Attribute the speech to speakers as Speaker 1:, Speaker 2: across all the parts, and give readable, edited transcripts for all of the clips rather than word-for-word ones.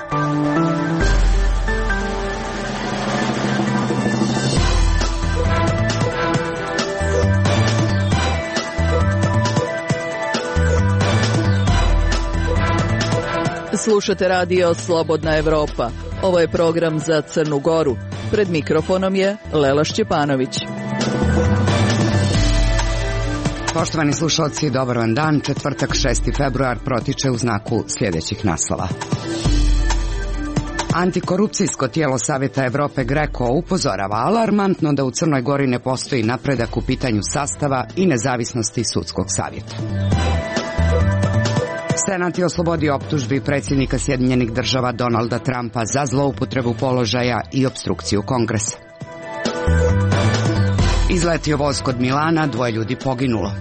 Speaker 1: Slušate radio Slobodna Evropa. Ovo je program za Crnu Goru. Pred mikrofonom je Lela Šćepanović.
Speaker 2: Poštovani slušalci, dobar vam dan. Četvrtak 6. februar protiče u znaku sljedećih naslova. Antikorupcijsko tijelo Savjeta Evrope GRECO upozorava alarmantno da u Crnoj Gori ne postoji napredak u pitanju sastava i nezavisnosti sudskog savjeta. Senat je oslobodio optužbi predsjednika Sjedinjenih Država Donalda Trumpa za zloupotrebu položaja i opstrukciju Kongresa. Izletio voz kod Milana, 2 ljudi poginulo.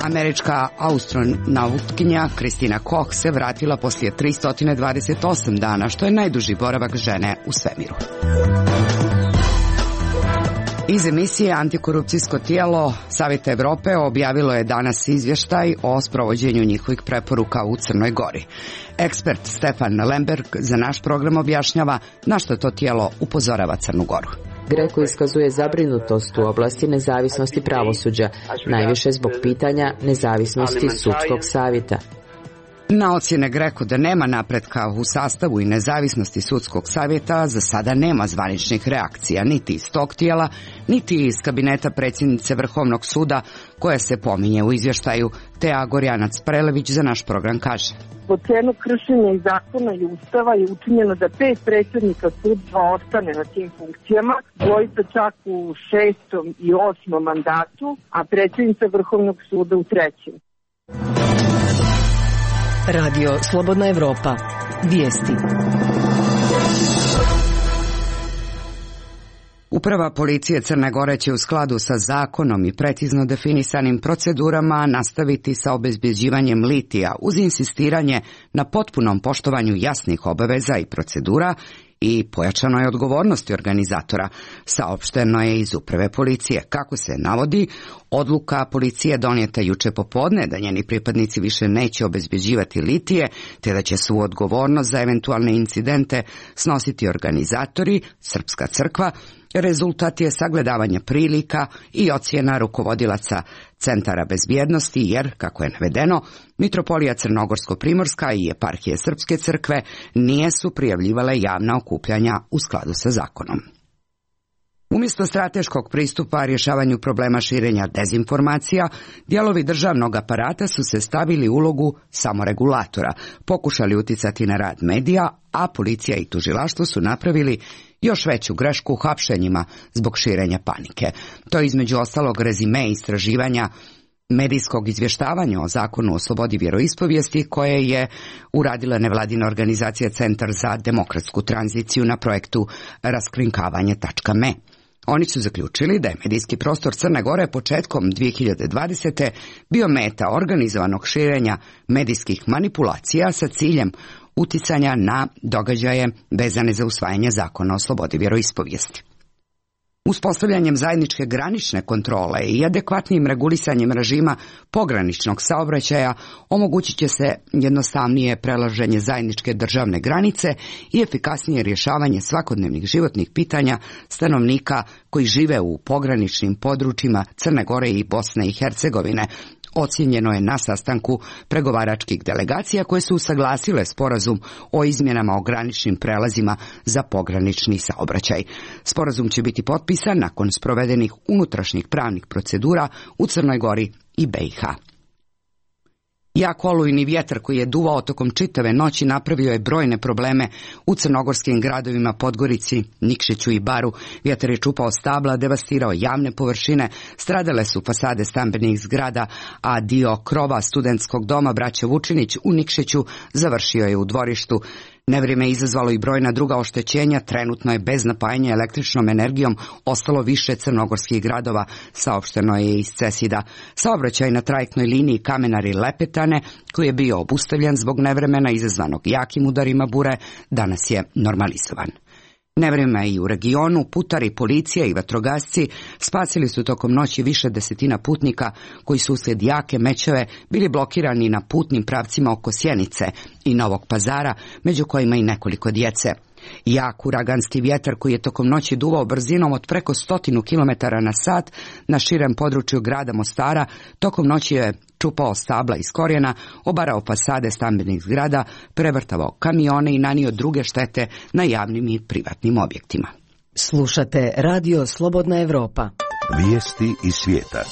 Speaker 2: Američka astronautkinja Kristina Koch se vratila poslije 328 dana, što je najduži boravak žene u svemiru. Iz emisije Antikorupcijsko tijelo Savjeta Evrope objavilo je danas izvještaj o sprovođenju njihovih preporuka u Crnoj Gori. Ekspert Stefan Lemberg za naš program objašnjava na što to tijelo upozorava Crnu Goru.
Speaker 3: GRECO iskazuje zabrinutost u oblasti nezavisnosti pravosuđa, najviše zbog pitanja nezavisnosti sudskog savjeta.
Speaker 2: Na ocjene GRECO da nema napretka u sastavu i nezavisnosti sudskog savjeta za sada nema zvaničnih reakcija, niti iz tog tijela, niti iz kabineta predsjednice Vrhovnog suda, koja se pominje u izvještaju. Teja Gorjanac Prelević za naš program kaže:
Speaker 4: po cenu kršenja i zakona i ustava je učinjeno da 5 predsjednika sudstva ostane na tim funkcijama, dvojica čak u 6. i 8. mandatu, a predsjednica Vrhovnog suda u 3.
Speaker 1: Radio Slobodna Evropa. Vijesti.
Speaker 2: Uprava policije Crne Gore će u skladu sa zakonom i precizno definisanim procedurama nastaviti sa obezbjeđivanjem litija uz insistiranje na potpunom poštovanju jasnih obaveza i procedura i pojačanoj odgovornosti organizatora, saopšteno je iz uprave policije. Kako se navodi, odluka policije donijeta juče popodne da njeni pripadnici više neće obezbjeđivati litije, te da će svu odgovornost za eventualne incidente snositi organizatori, Srpska crkva, rezultat je sagledavanje prilika i ocjena rukovodilaca centara bezbjednosti jer, kako je navedeno, Mitropolija Crnogorsko-Primorska i eparhije Srpske crkve nisu prijavljivale javna okupljanja u skladu sa zakonom. Umjesto strateškog pristupa rješavanju problema širenja dezinformacija, dijelovi državnog aparata su se stavili u ulogu samoregulatora, pokušali uticati na rad medija, a policija i tužilaštvo su napravili još veću grešku hapšenjima zbog širenja panike. To je između ostalog rezime istraživanja medijskog izvještavanja o zakonu o slobodi vjeroispovijesti koje je uradila nevladina organizacija Centar za demokratsku tranziciju na projektu raskrinkavanje.me. Oni su zaključili da je medijski prostor Crne Gore početkom 2020. bio meta organizovanog širenja medijskih manipulacija sa ciljem uticanja na događaje vezane za usvajanje zakona o slobodi vjeroispovijesti. Uspostavljanjem zajedničke granične kontrole i adekvatnim regulisanjem režima pograničnog saobraćaja omogućit će se jednostavnije prelaženje zajedničke državne granice i efikasnije rješavanje svakodnevnih životnih pitanja stanovnika koji žive u pograničnim područjima Crne Gore i Bosne i Hercegovine, ocijenjeno je na sastanku pregovaračkih delegacija koje su usaglasile sporazum o izmjenama o graničnim prelazima za pogranični saobraćaj. Sporazum će biti potpisan nakon sprovedenih unutrašnjih pravnih procedura u Crnoj Gori i BiH. Jak olujni vjetar koji je duvao tokom čitave noći napravio je brojne probleme u crnogorskim gradovima Podgorici, Nikšiću i Baru. Vjetar je čupao stabla, devastirao javne površine, stradale su fasade stambenih zgrada, a dio krova studentskog doma Braće Vučinić u Nikšiću završio je u dvorištu. Nevrijeme je izazvalo i brojna druga oštećenja, trenutno je bez napajanja električnom energijom ostalo više crnogorskih gradova, saopšteno je iz CESID-a. Saobraćaj na trajektnoj liniji Kamenari-Lepetane, koji je bio obustavljen zbog nevremena izazvanog jakim udarima bure, danas je normalizovan. Nevreme i u regionu, putari, policija i vatrogasci spasili su tokom noći više desetina putnika koji su uslijed jake mećave bili blokirani na putnim pravcima oko Sjenice i Novog Pazara, među kojima i nekoliko djece. Jak uraganski vjetar koji je tokom noći duvao brzinom od preko 100 km/h na širem području grada Mostara, tokom noći je čupao stabla iz korijena, obarao fasade stambenih zgrada, prevrtavao kamione i nanio druge štete na javnim i privatnim objektima.
Speaker 1: Slušate Radio Slobodna Evropa.
Speaker 5: Vijesti iz svijeta.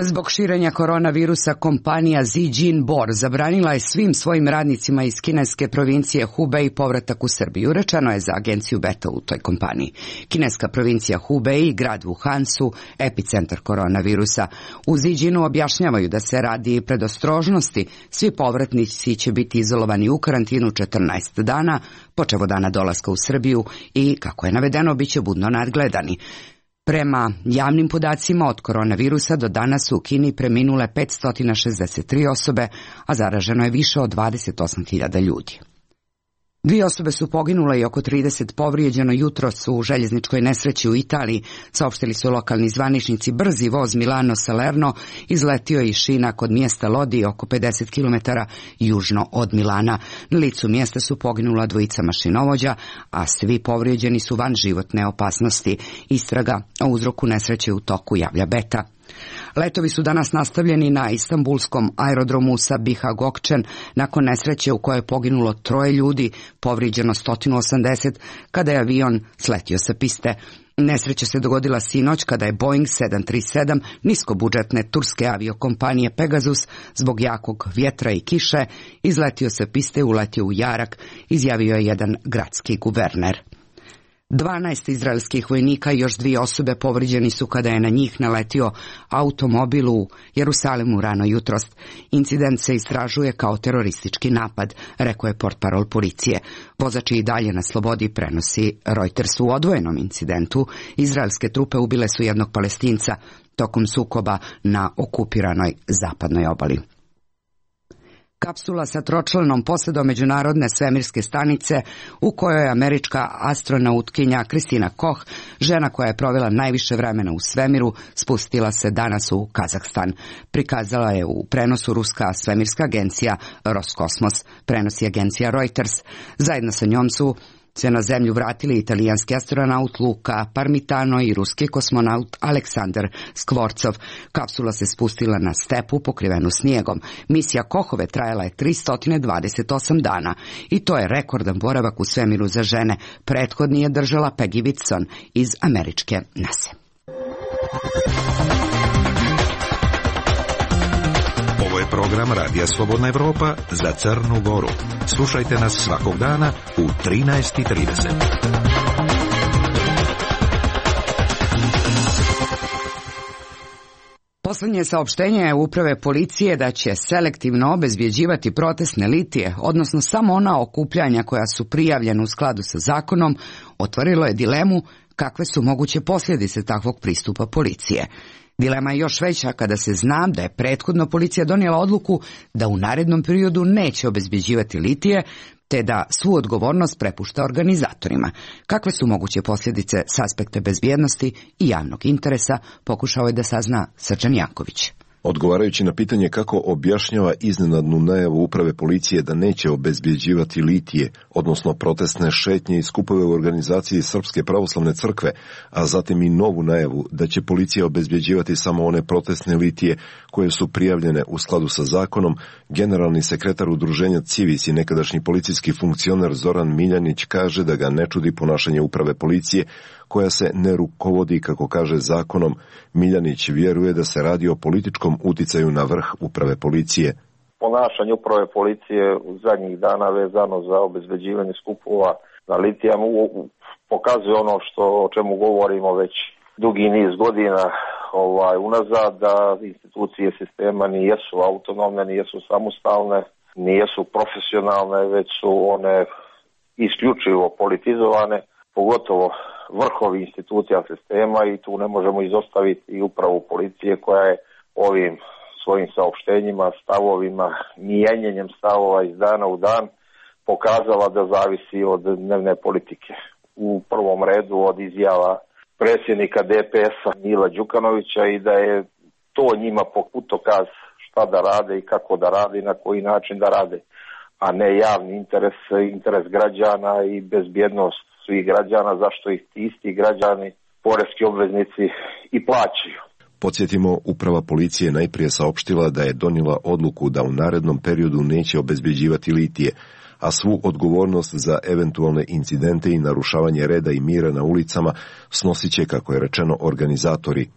Speaker 2: Zbog širenja koronavirusa kompanija Zijin Bor zabranila je svim svojim radnicima iz kineske provincije Hubei povratak u Srbiju, rečeno je za agenciju Beta u toj kompaniji. Kineska provincija Hubei i grad Wuhan su epicentar koronavirusa. U Zijinu objašnjavaju da se radi predostrožnosti, svi povratnici će biti izolovani u karantinu 14 dana, počev od dana dolaska u Srbiju i, kako je navedeno, bit će budno nadgledani. Prema javnim podacima od koronavirusa do danas su u Kini preminule 563 osobe, a zaraženo je više od 28.000 ljudi. 2 osobe su poginule i oko 30 povrijeđeno jutros u željezničkoj nesreći u Italiji, saopštili su lokalni zvaničnici. Brzi voz Milano-Salerno izletio je iz šina kod mjesta Lodi oko 50 km južno od Milana. Na licu mjesta su poginula 2 mašinovođa, a svi povrijeđeni su van životne opasnosti. Istraga o uzroku nesreće u toku, javlja Beta. Letovi su danas nastavljeni na istanbulskom aerodromu Sabiha Gökçen nakon nesreće u kojoj je poginulo 3 ljudi, povrijeđeno 180 kada je avion sletio sa piste. Nesreća se dogodila sinoć kada je Boeing 737 niskobudžetne turske aviokompanije Pegasus zbog jakog vjetra i kiše izletio sa piste i uletio u jarak, izjavio je jedan gradski guverner. 12 izraelskih vojnika i još 2 osobe povrijeđeni su kada je na njih naletio automobil u Jerusalimu rano jutros. Incident se istražuje kao teroristički napad, rekao je portparol policije. Vozač je i dalje na slobodi, prenosi Reuters. U odvojenom incidentu izraelske trupe ubile su jednog Palestinca tokom sukoba na okupiranoj zapadnoj obali. Kapsula sa tročlanom posadom međunarodne svemirske stanice u kojoj je američka astronautkinja Kristina Koch, žena koja je provela najviše vremena u svemiru, spustila se danas u Kazahstan. Prikazala je u prenosu ruska svemirska agencija Roskosmos, prenosi agencija Reuters. Zajedno sa njom su se na zemlju vratili italijanski astronaut Luca Parmitano i ruski kosmonaut Aleksandar Skvorcov. Kapsula se spustila na stepu pokrivenu snijegom. Misija Kohove trajala je 328 dana i to je rekordan boravak u svemiru za žene. Prethodni je držala Peggy Whitson iz američke NASA.
Speaker 5: Ovo je program Radija Slobodna Evropa za Crnu Goru. Slušajte nas svakog dana u 13:30.
Speaker 2: Poslednje saopštenje je uprave policije da će selektivno obezbjeđivati protestne litije, odnosno samo ona okupljanja koja su prijavljena u skladu sa zakonom, otvorilo je dilemu kakve su moguće posljedice takvog pristupa policije. Dilema je još veća kada se zna da je prethodno policija donijela odluku da u narednom periodu neće obezbjeđivati litije, te da svu odgovornost prepušta organizatorima. Kakve su moguće posljedice s aspekta bezbjednosti i javnog interesa, pokušao je da sazna Srđan Janković.
Speaker 6: Odgovarajući na pitanje kako objašnjava iznenadnu najavu uprave policije da neće obezbjeđivati litije, odnosno protestne šetnje i skupove u organizaciji Srpske pravoslavne crkve, a zatim i novu najavu da će policija obezbjeđivati samo one protestne litije koje su prijavljene u skladu sa zakonom, generalni sekretar udruženja Civis i nekadašnji policijski funkcioner Zoran Miljanić kaže da ga ne čudi ponašanje uprave policije, koja se ne rukovodi, kako kaže, zakonom. Miljanić vjeruje da se radi o političkom uticaju na vrh uprave policije.
Speaker 7: Ponašanje uprave policije u zadnjih dana vezano za obezbeđivanje skupova na litijama pokazuje ono o čemu govorimo već dugi niz godina unazad, da institucije sistema nijesu autonomne, nijesu samostalne, nijesu profesionalne, već su one isključivo politizovane, pogotovo vrhovi institucija sistema, i tu ne možemo izostaviti i upravu policije koja je ovim svojim saopštenjima, stavovima, mijenjanjem stavova iz dana u dan pokazala da zavisi od dnevne politike. U prvom redu od izjava predsjednika DPS-a Mila Đukanovića i da je to njima putokaz šta da rade i kako da rade i na koji način da rade, a ne javni interes građana i bezbjednost svih građana, zašto ih ti isti građani, poreski obveznici i plaćaju.
Speaker 6: Podsjetimo, uprava policije najprije saopštila da je donijela odluku da u narednom periodu neće obezbjeđivati litije, a svu odgovornost za eventualne incidente i narušavanje reda i mira na ulicama snosit će, kako je rečeno, organizatori.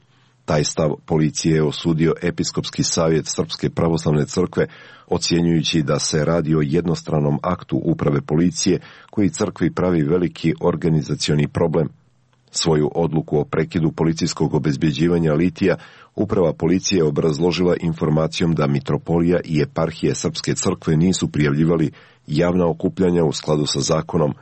Speaker 6: Taj stav policije je osudio Episkopski savjet Srpske pravoslavne crkve, ocjenjujući da se radi o jednostranom aktu uprave policije koji crkvi pravi veliki organizacioni problem. Svoju odluku o prekidu policijskog obezbjeđivanja litija uprava policije obrazložila informacijom da mitropolija i eparhije Srpske crkve nisu prijavljivali javna okupljanja u skladu sa zakonom.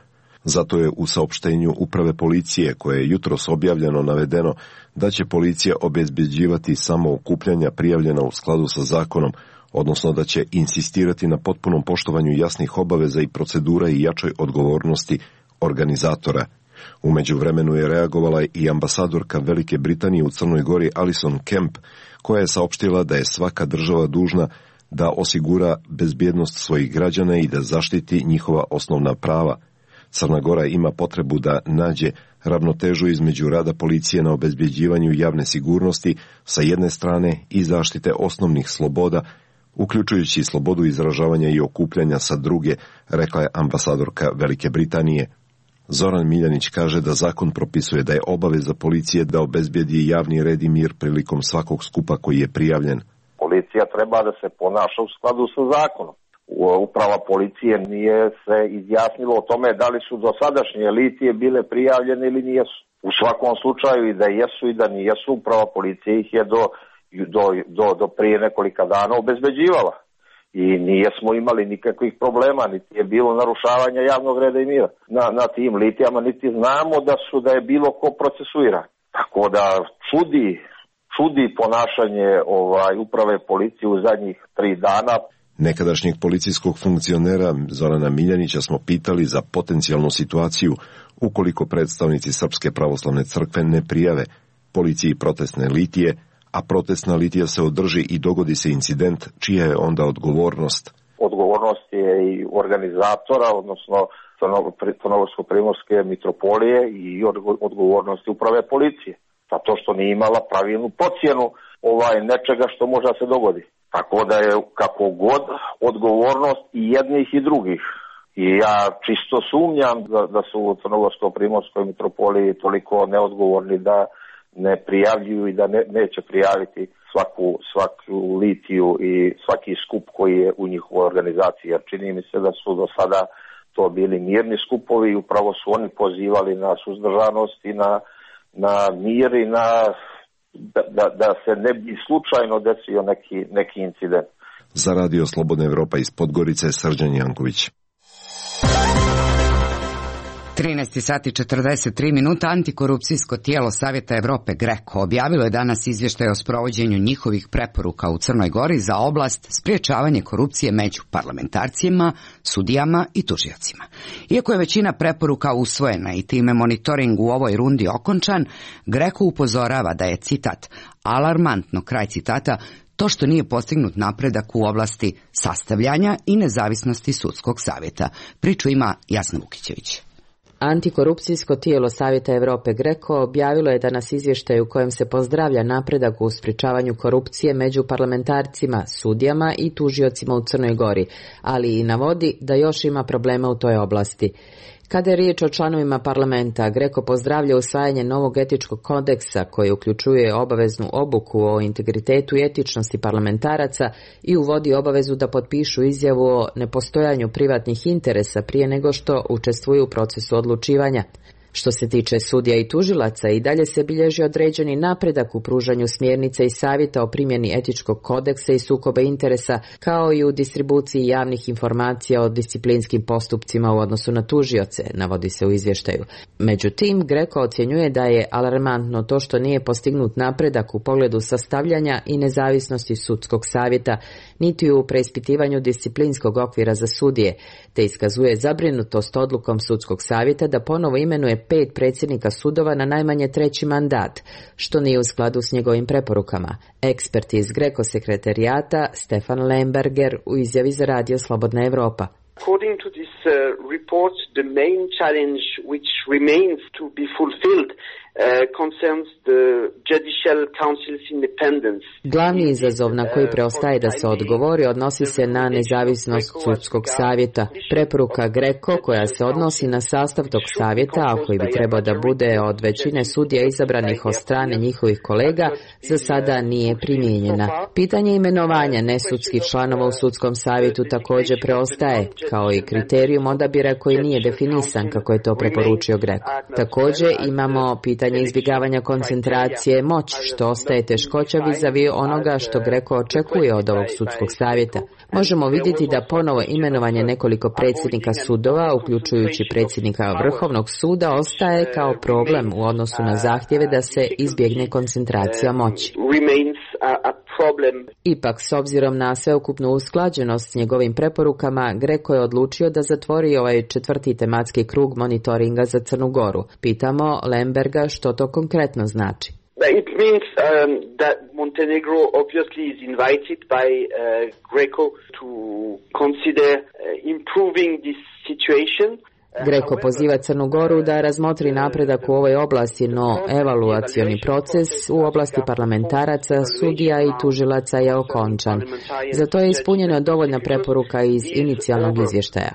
Speaker 6: Zato je u saopštenju uprave policije, koje je jutros objavljeno, navedeno da će policija obezbjeđivati samo okupljanja prijavljena u skladu sa zakonom, odnosno da će insistirati na potpunom poštovanju jasnih obaveza i procedura i jačoj odgovornosti organizatora. U međuvremenu je reagovala i ambasadorka Velike Britanije u Crnoj Gori Alison Kemp, koja je saopštila da je svaka država dužna da osigura bezbjednost svojih građana i da zaštiti njihova osnovna prava. Crna Gora ima potrebu da nađe ravnotežu između rada policije na obezbjeđivanju javne sigurnosti sa jedne strane i zaštite osnovnih sloboda, uključujući slobodu izražavanja i okupljanja sa druge, rekla je ambasadorka Velike Britanije. Zoran Miljanić kaže da zakon propisuje da je obaveza policije da obezbijedi javni red i mir prilikom svakog skupa koji je prijavljen.
Speaker 7: Policija treba da se ponaša u skladu sa zakonom. Uprava policije nije se izjasnilo o tome da li su dosadašnje litije bile prijavljene ili nijesu. U svakom slučaju i da jesu i da nijesu, uprava policije ih je do prije nekolika dana obezbeđivala. I nismo imali nikakvih problema, niti je bilo narušavanja javnog reda i mira na tim litijama, niti znamo da je bilo ko procesuiran. Tako da čudi ponašanje uprave policije u zadnjih 3 dana.
Speaker 6: Nekadašnjeg policijskog funkcionera Zorana Miljanića smo pitali za potencijalnu situaciju ukoliko predstavnici Srpske pravoslavne crkve ne prijave policiji protestne litije, a protestna litija se održi i dogodi se incident, čija je onda odgovornost?
Speaker 7: Odgovornost je i organizatora, odnosno Crnogorsko-primorske mitropolije, i odgovornosti uprave policije. Zato što nije imala pravilnu procjenu nečega što može se dogodi. Tako da je kako god odgovornost i jednih i drugih. I ja čisto sumnjam da su u Crnogorsko-primorskoj mitropoliji toliko neodgovorni da ne prijavljuju i da neće prijaviti svaku litiju i svaki skup koji je u njihovoj organizaciji. Jer čini mi se da su do sada to bili mirni skupovi i upravo su oni pozivali na suzdržanost i na mir i da se ne bi slučajno desio neki incident.
Speaker 6: Za Radio Slobodna Evropa iz Podgorice, Srđan Janković.
Speaker 2: 13 sati 43 minuta. Antikorupcijsko tijelo Savjeta Evrope GRECO objavilo je danas izvještaj o sprovođenju njihovih preporuka u Crnoj Gori za oblast sprječavanje korupcije među parlamentarcima, sudijama i tužiocima. Iako je većina preporuka usvojena i time monitoring u ovoj rundi okončan, GRECO upozorava da je, citat, alarmantno, kraj citata, to što nije postignut napredak u oblasti sastavljanja i nezavisnosti sudskog savjeta. Priču ima Jasna Vukićević.
Speaker 3: Antikorupcijsko tijelo Savjeta Evrope GRECO objavilo je danas izvještaj u kojem se pozdravlja napredak u sprječavanju korupcije među parlamentarcima, sudijama i tužiocima u Crnoj Gori, ali i navodi da još ima problema u toj oblasti. Kada je riječ o članovima parlamenta, GRECO pozdravlja usvajanje novog etičkog kodeksa koji uključuje obaveznu obuku o integritetu i etičnosti parlamentaraca i uvodi obavezu da potpišu izjavu o nepostojanju privatnih interesa prije nego što učestvuju u procesu odlučivanja. Što se tiče sudija i tužilaca, i dalje se bilježi određeni napredak u pružanju smjernica i savjeta o primjeni etičkog kodeksa i sukoba interesa, kao i u distribuciji javnih informacija o disciplinskim postupcima u odnosu na tužioce, navodi se u izvještaju. Međutim, GRECO ocjenjuje da je alarmantno to što nije postignut napredak u pogledu sastavljanja i nezavisnosti sudskog savjeta, niti u preispitivanju disciplinskog okvira za sudije, te iskazuje zabrinutost odlukom sudskog savjeta da ponovo imenuje 5 predsjednika sudova na najmanje 3. mandat, što nije u skladu s njegovim preporukama. Ekspert iz GRECO sekretarijata Stefan Lemberger u izjavi za Radio Slobodna Evropa.
Speaker 8: According to this report, the main challenge which remains to be fulfilled concerns the Judicial Council's independence.
Speaker 3: Glavni izazov na koji preostaje da se odgovori odnosi se na nezavisnost sudskog savjeta. Preporuka GRECO koja se odnosi na sastav tog savjeta, a koji bi trebao da bude od većine sudija izabranih od strane njihovih kolega, za sada nije primijenjena. Pitanje imenovanja nesudskih članova u sudskom savjetu također preostaje, kao i kriterijum odabira koji nije definisan kako je to preporučio GRECO. Također imamo pitanje izbjegavanja koncentracije moći, što ostaje teškoća vizavi onoga što GRECO očekuje od ovog sudskog savjeta. Možemo vidjeti da ponovo imenovanje nekoliko predsjednika sudova, uključujući predsjednika Vrhovnog suda, ostaje kao problem u odnosu na zahtjeve da se izbjegne koncentracija moći. Ipak, s obzirom na sveukupnu usklađenost s njegovim preporukama, GRECO je odlučio da zatvori ovaj 4. tematski krug monitoringa za Crnu Goru. Pitamo Lemberga što to konkretno znači.
Speaker 8: It means that Montenegro obviously is invited by GRECO to consider improving this situation.
Speaker 3: GRECO poziva Crnu Goru da razmotri napredak u ovoj oblasti, no evaluacioni proces u oblasti parlamentaraca, sudija i tužilaca je okončan. Zato je ispunjena dovoljna preporuka iz inicijalnog izvještaja.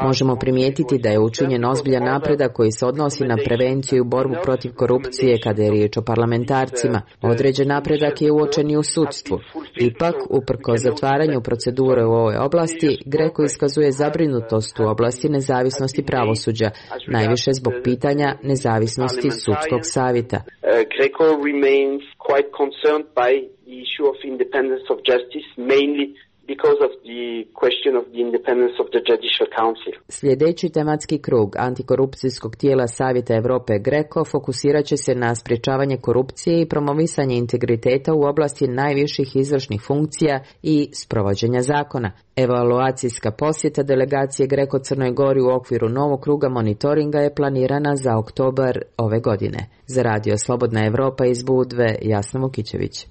Speaker 3: Možemo primijetiti da je učinjen ozbiljan napredak koji se odnosi na prevenciju i borbu protiv korupcije kada je riječ o parlamentarcima. Određen napredak je uočen i u sudstvu. Ipak, uprkos zatvaranju procedure u ovoj oblasti, GRECO iskazuje zabrinutost u oblasti nezavisnosti pravosuđa, najviše zbog pitanja nezavisnosti sudskog savjeta.
Speaker 8: GRECO remains quite concerned by the issue of independence of justice, mainly because of the question of the independence of the Judicial Council.
Speaker 3: Sljedeći tematski krug antikorupcijskog tijela Savjeta Europe GRECO fokusirat će se na sprječavanje korupcije i promovisanje integriteta u oblasti najviših izvršnih funkcija i sprovođenja zakona. Evaluacijska posjeta delegacije GRECO Crnoj Gori u okviru novog kruga monitoringa je planirana za oktobar ove godine. Za Radio Slobodna Evropa iz Budve, Jasna Vukićević.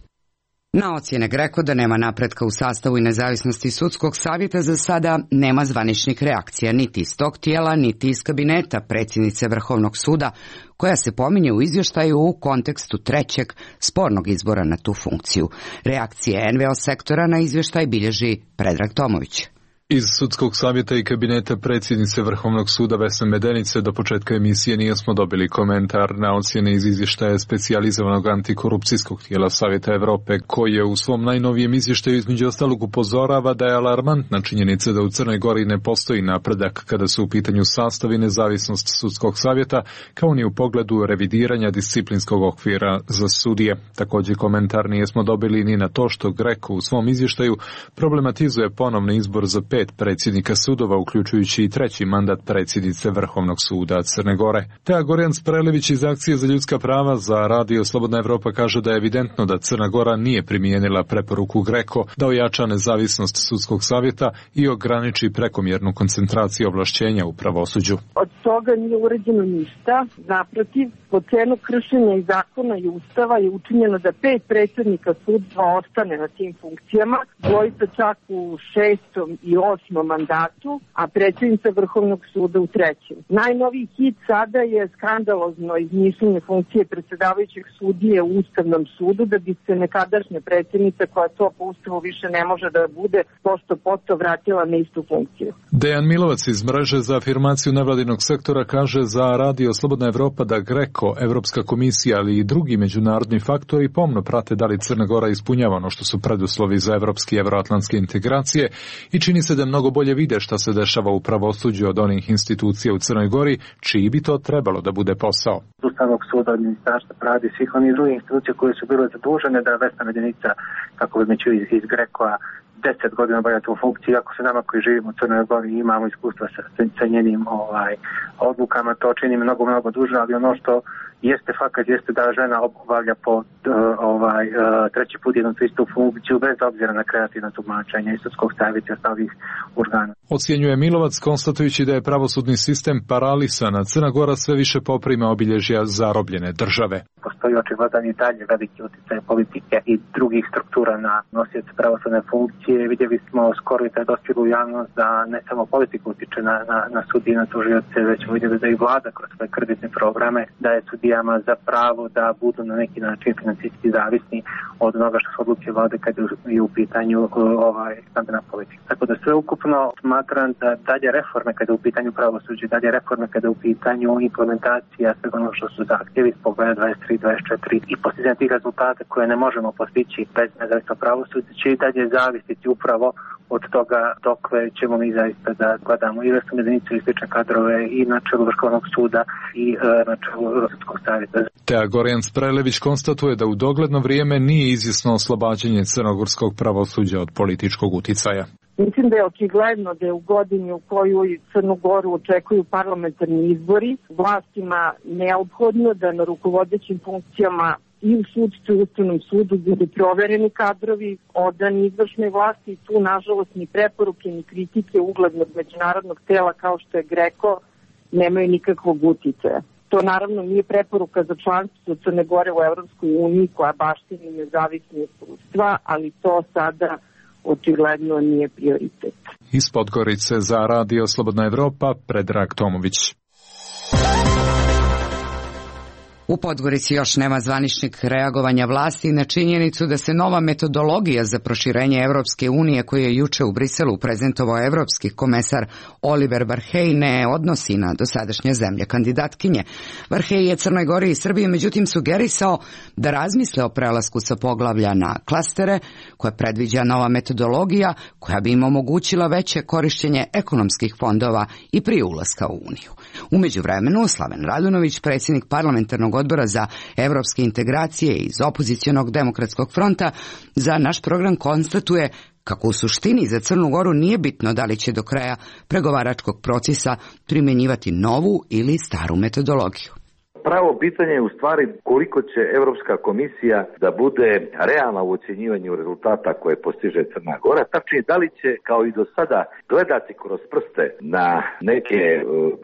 Speaker 2: Na ocjene GRECO da nema napretka u sastavu i nezavisnosti sudskog savjeta za sada nema zvaničnih reakcija niti iz tog tijela, niti iz kabineta predsjednice Vrhovnog suda, koja se pominje u izvještaju u kontekstu 3. spornog izbora na tu funkciju. Reakcije NVO sektora na izvještaj bilježi Predrag Tomović.
Speaker 9: Iz sudskog savjeta i kabineta predsjednice Vrhovnog suda Vesne Medenice do početka emisije nismo dobili komentar na ocjene iz izvještaja specijalizovanog antikorupcijskog tijela Savjeta Europe, koji je u svom najnovijem izvještaju između ostalog upozorava da je alarmantna činjenica da u Crnoj Gori ne postoji napredak kada su u pitanju sastav i nezavisnost sudskog savjeta, kao ni u pogledu revidiranja disciplinskog okvira za sudije. Također komentar nismo dobili ni na to što GRECO u svom izvještaju problematizuje ponovni izbor za 5 predsjednika sudova, uključujući i 3. mandat predsjednice Vrhovnog suda Crne Gore. Teja Gorjan Sprelević iz Akcije za ljudska prava za Radio Slobodna Evropa kaže da je evidentno da Crna Gora nije primijenila preporuku GRECO da ojača nezavisnost sudskog savjeta i ograniči prekomjernu koncentraciju ovlašćenja u pravosuđu.
Speaker 4: Od toga nije urađeno ništa. Naprotiv, po cenu kršenja i zakona i ustava je učinjeno da 5 predsjednika sudstva ostane na tim funkcijama, dvojica čak u 6. i 8. mandatu, a predsjednica Vrhovnog suda u 3. Najnoviji hit sada je skandalozno izmišljenje funkcije predsjedavajućeg sudije u Ustavnom sudu, da bi se nekadašnja predsjednica, koja to po Ustavu više ne može da bude, posto poto vratila na istu funkciju.
Speaker 9: Dejan Milovac iz mreže za afirmaciju nevladinog sektora kaže za Radio Slobodna Evropa da GRECO, Evropska komisija, ali i drugi međunarodni faktori pomno prate da li Crna Gora ispunjava ono što su preduslovi za evropske i evroatlantske integracije i čini se susede mnogo bolje vide šta se dešava u pravosuđu od onih institucija u Crnoj Gori, čiji bi to trebalo da bude posao.
Speaker 10: Ustavnog suda, od ministarstva pravde, svih onih drugih institucija koje su bile zadužene da Vesna Medenica, kako bi meću iz Grekoa, 10 godina obavlja tu funkciju, iako se nama koji živimo u Crnoj Gori imamo iskustva sa njenim odlukama, to čini mnogo duže, ali ono što jeste fakat, jeste da žena obavlja po treći put jednu istu funkciju bez obzira na kreativno tumačenje i sudskog savjeta i ostalih organa.
Speaker 9: Ocjenjuje Milovac, konstatujući da je pravosudni sistem paralisan, a Crna Gora sve više poprima obilježja zarobljene države.
Speaker 10: Postoji očigledan i dalje veliki utjecaj politike i drugih struktura na nosioce pravosudne funkcije. Vidjeli smo skoro i taj dospjelu javnost da ne samo politika utiče na sudije i na tužioce, već vidjeli da i vlada kroz svoje kreditne programe daje sudijama za pravo da budu na neki način financijski zavisni od onoga što su odluke vlade kad je u pitanju stambena politika. Tako da sve ukupno smatram da dalje reforme kada je u pitanju pravosuđe, dalje reforme kada je u pitanju implementacija svega ono što su zahtjevi iz pogleda 23, 24 i postizanje tih rezultata koje ne možemo postići bez nezavisno pravosuđe će i dalje zavisiti upravo od toga dokle ćemo mi zaista da gledamo i Vesnu Medenicu i slične kadrove i na čelu Vrhovnog suda i na čelu Sudskog savjeta.
Speaker 9: Teja Gorjan Sprelević konstatuje da u dogledno vrijeme nije izvjesno oslobađanje crnogorskog pravosuđa od političkog uticaja.
Speaker 4: Mislim da je očigledno da je u godini u kojoj Crnu Goru očekuju parlamentarni izbori vlastima neophodno da na rukovodećim funkcijama i u sudstvu i u Ustavnom sudu budu provereni kadrovi, odani izvršnoj vlasti i tu nažalost ni preporuke ni kritike uglednog međunarodnog tela kao što je GRECO nemaju nikakvog uticaja. To naravno nije preporuka za članstvo Crne Gore u Evropskoj uniji koja baštini nezavisne sudstva, ali to sada očigledno nije prioritet.
Speaker 9: Iz Podgorice za Radio Slobodna Evropa, Predrag Tomović.
Speaker 2: U Podgorici još nema zvaničnih reagovanja vlasti na činjenicu da se nova metodologija za proširenje Evropske unije koju je juče u Briselu prezentovao evropski komesar Oliver Varhej ne odnosi na dosadašnje zemlje kandidatkinje. Varhej je Crnoj Gori i Srbiji međutim sugerisao da razmisle o prelasku sa poglavlja na klastere koje predviđa nova metodologija koja bi im omogućila veće korištenje ekonomskih fondova i prije ulaska u Uniju. U međuvremenu Slaven Radunović, predsjednik parlamentarnog odbora za evropske integracije iz opozicionog demokratskog fronta, za naš program konstatuje kako u suštini za Crnu Goru nije bitno da li će do kraja pregovaračkog procesa primjenjivati novu ili staru metodologiju.
Speaker 11: Pravo pitanje je u stvari koliko će Europska komisija da bude realna u ocjenjivanju rezultata koje postiže Crna Gora, tačnije da li će kao i do sada gledati kroz prste na neke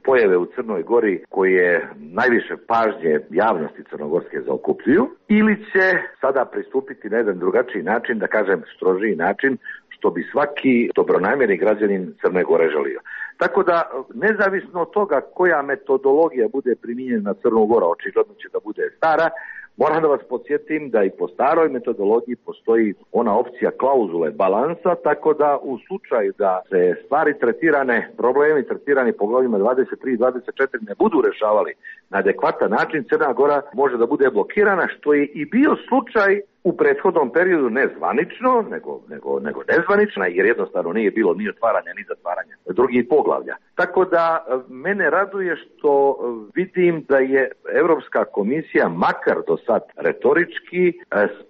Speaker 11: pojave u Crnoj Gori koje najviše pažnje javnosti crnogorske zaokupljuju ili će sada pristupiti na jedan drugačiji način, da kažem strožiji način, što bi svaki dobronamjerni građanin Crne Gore želio. Tako da, nezavisno od toga koja metodologija bude primijenjena na Crnu Goru, očigledno će da bude stara, moram da vas podsjetim da i po staroj metodologiji postoji ona opcija klauzule balansa, tako da u slučaju da se stvari tretirane, problemi tretirani po glavima 23 i 24 ne budu rešavali na adekvatan način, Crna Gora može da bude blokirana, što je i bio slučaj u prethodnom periodu ne zvanično, nego nezvanično, jer jednostavno nije bilo ni otvaranja ni zatvaranja drugih poglavlja. Tako da mene raduje što vidim da je Europska komisija, makar do sad retorički,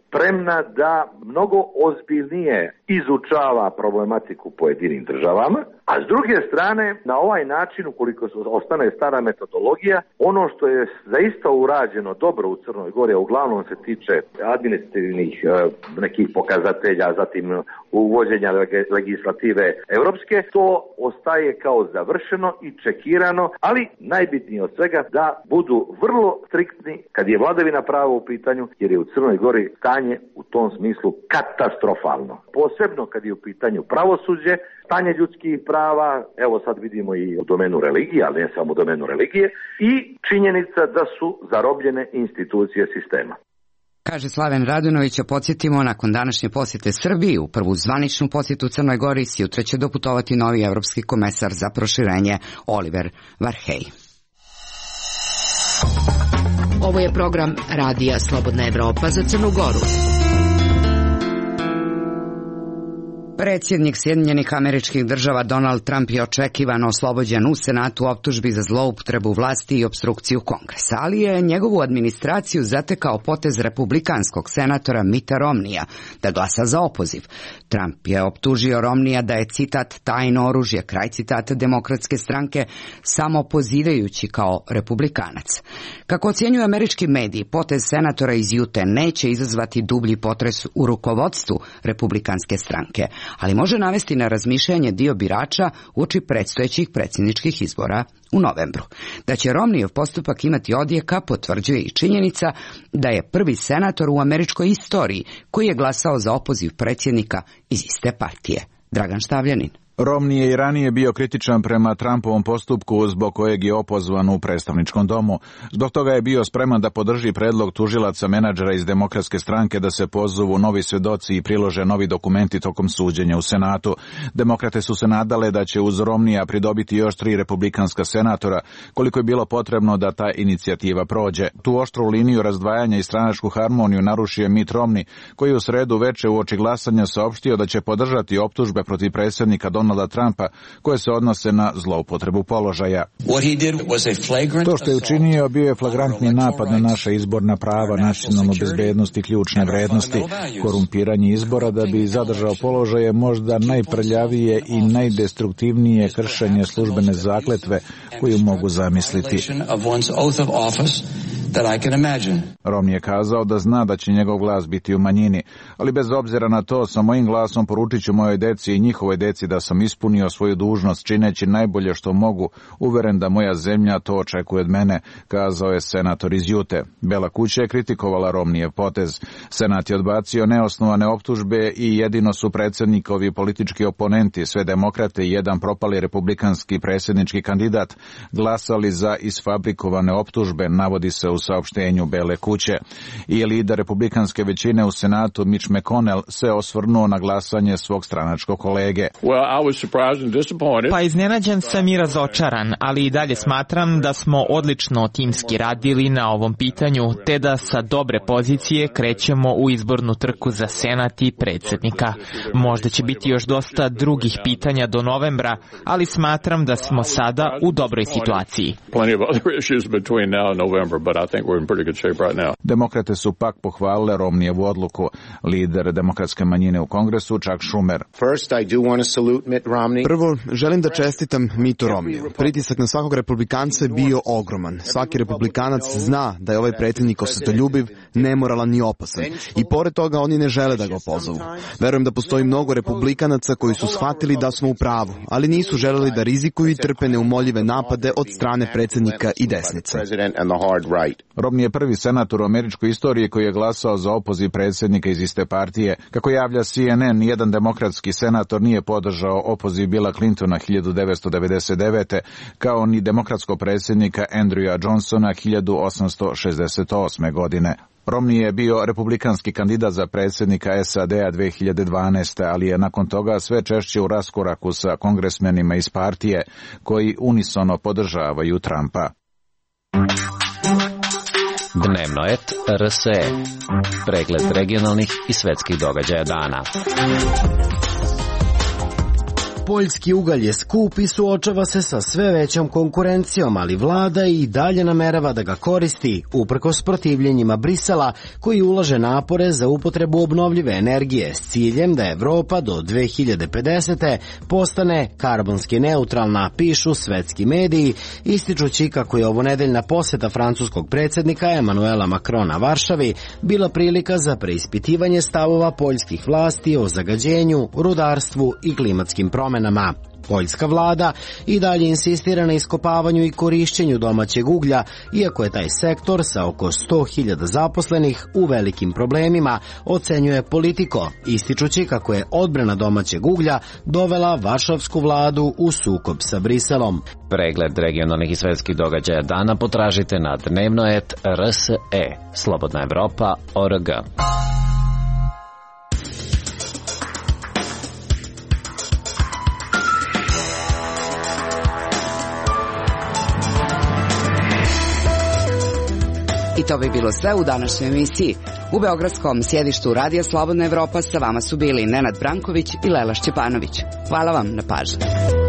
Speaker 11: spremna da mnogo ozbiljnije izučava problematiku pojedinim državama, a s druge strane, na ovaj način, ukoliko ostane stara metodologija, ono što je zaista urađeno dobro u Crnoj Gori, a uglavnom se tiče administrativnih nekih pokazatelja, zatim uvođenja legislative europske, to ostaje kao završeno i čekirano, ali najbitnije od svega da budu vrlo striktni kad je vladavina prava u pitanju, jer je u Crnoj Gori stanje u tom smislu katastrofalno. Posebno kad je u pitanju pravosuđe, stanje ljudskih prava, evo sad vidimo i u domenu religije, ali ne samo u domenu religije, i činjenica da su zarobljene institucije sistema.
Speaker 2: Kaže Slaven Radunović, a podsjetimo, nakon današnje posjete Srbiji, u prvu zvaničnu posjetu Crnoj Gori, sutra će doputovati novi evropski komesar za proširenje Oliver Varhej.
Speaker 12: Ovo je program Radija Slobodna Evropa za Crnu Goru.
Speaker 2: Predsjednik Sjedinjenih Američkih Država Donald Trump je očekivano oslobođen u Senatu optužbi za zloupotrebu vlasti i opstrukciju Kongresa, ali je njegovu administraciju zatekao potez republikanskog senatora Mitta Romneya da glasa za opoziv. Trump je optužio Romneya da je, citat, tajno oružje, kraj citata Demokratske stranke, samo pozivajući kao republikanac. Kako ocjenjuju američki mediji, potez senatora iz Jute neće izazvati dublji potres u rukovodstvu republikanske stranke, ali može navesti na razmišljanje dio birača uoči predstojećih predsjedničkih izbora u novembru. Da će Romneyov postupak imati odjeka potvrđuje i činjenica da je prvi senator u američkoj istoriji koji je glasao za opoziv predsjednika iz iste partije. Dragan Štavljanin.
Speaker 13: Romney je i ranije bio kritičan prema Trumpovom postupku zbog kojeg je opozvan u predstavničkom domu. Zbog toga je bio spreman da podrži predlog tužilaca menadžera iz Demokratske stranke da se pozovu novi svedoci i prilože novi dokumenti tokom suđenja u Senatu. Demokrate su se nadale da će uz Romneya pridobiti još 3 republikanska senatora, koliko je bilo potrebno da ta inicijativa prođe. Tu oštru liniju razdvajanja i stranačku harmoniju narušio je Mitt Romney, koji je u sredu veče uoči glasanja saopštio da će podržati optužbe protiv predsjednika Donalda Trumpa koje se odnose na zloupotrebu položaja. To što je učinio bio je flagrantni napad na naša izborna prava, nacionalnu bezbednost i ključne vrednosti. Korumpiranje izbora da bi zadržao položaje možda najprljavije i najdestruktivnije kršenje službene zakletve koju mogu zamisliti. Romney je kazao da zna da će njegov glas biti u manjini, ali bez obzira na to sa mojim glasom poručit ću mojoj deci i njihovoj deci da sam ispunio svoju dužnost čineći najbolje što mogu, uveren da moja zemlja to očekuje od mene, kazao je senator iz Jute. Bela kuća je kritikovala Romneyev potez. Senat je odbacio neosnovane optužbe i jedino su predsjednikovi politički oponenti, sve demokrate i jedan propali republikanski predsjednički kandidat, glasali za isfabrikovane optužbe, navodi se u saopštenju Bele kuće. I lider republikanske većine u Senatu Mitch McConnell se osvrnuo na glasanje svog stranačkog kolege.
Speaker 14: Pa iznenađen sam i razočaran, ali i dalje smatram da smo odlično timski radili na ovom pitanju, te da sa dobre pozicije krećemo u izbornu trku za Senat i predsjednika. Možda će biti još dosta drugih pitanja do novembra, ali smatram da smo sada u dobroj situaciji.
Speaker 13: Demokrate su pak pohvalile Romneyevu odluku. Lider demokratske manjine u Kongresu Chuck Schumer.
Speaker 15: Prvo, želim da čestitam Mittu Romneyu. Pritisak na svakog republikanca je bio ogroman. Svaki republikanac zna da je ovaj predsjednik osvetoljubiv, nemoralan i opasan. I pored toga oni ne žele da ga opozovu. Verujem da postoji mnogo republikanaca koji su shvatili da smo u pravu, ali nisu želeli da rizikuju i trpe neumoljive napade od strane predsjednika i desnice.
Speaker 13: Romney je prvi senator u američkoj istoriji koji je glasao za opoziv predsjednika iz iste partije. Kako javlja CNN, nijedan demokratski senator nije podržao opoziv Billa Clintona 1999. kao ni demokratskog predsjednika Andrewa Johnsona 1868. godine. Romney je bio republikanski kandidat za predsjednika SAD-a 2012. ali je nakon toga sve češće u raskoraku sa kongresmenima iz partije koji unisono podržavaju Trumpa.
Speaker 16: Dnevnoet RSE. Pregled regionalnih i svetskih događaja dana.
Speaker 17: Poljski ugalj je skup i suočava se sa sve većom konkurencijom, ali vlada i dalje namerava da ga koristi, uprkos protivljenjima Brisela, koji ulaže napore za upotrebu obnovljive energije s ciljem da Evropa do 2050. postane karbonski neutralna, pišu svetski mediji, ističući kako je ovonedeljna poseta francuskog predsjednika Emanuela Macrona Varšavi bila prilika za preispitivanje stavova poljskih vlasti o zagađenju, rudarstvu i klimatskim promenama. Poljska vlada i dalje insistira na iskopavanju i korišćenju domaćeg uglja, iako je taj sektor sa oko 100.000 zaposlenih u velikim problemima, ocenjuje Politico, ističući kako je odbrana domaćeg uglja dovela varšavsku vladu u sukob sa Briselom.
Speaker 16: Pregled regionalnih i svetskih događaja dana potražite na Dnevnoet RSE, Slobodna Evropa.org.
Speaker 2: I to bi bilo sve u današnjoj emisiji. U beogradskom sjedištu Radija Slobodna Evropa sa vama su bili Nenad Branković i Lela Šćepanović. Hvala vam na pažnji.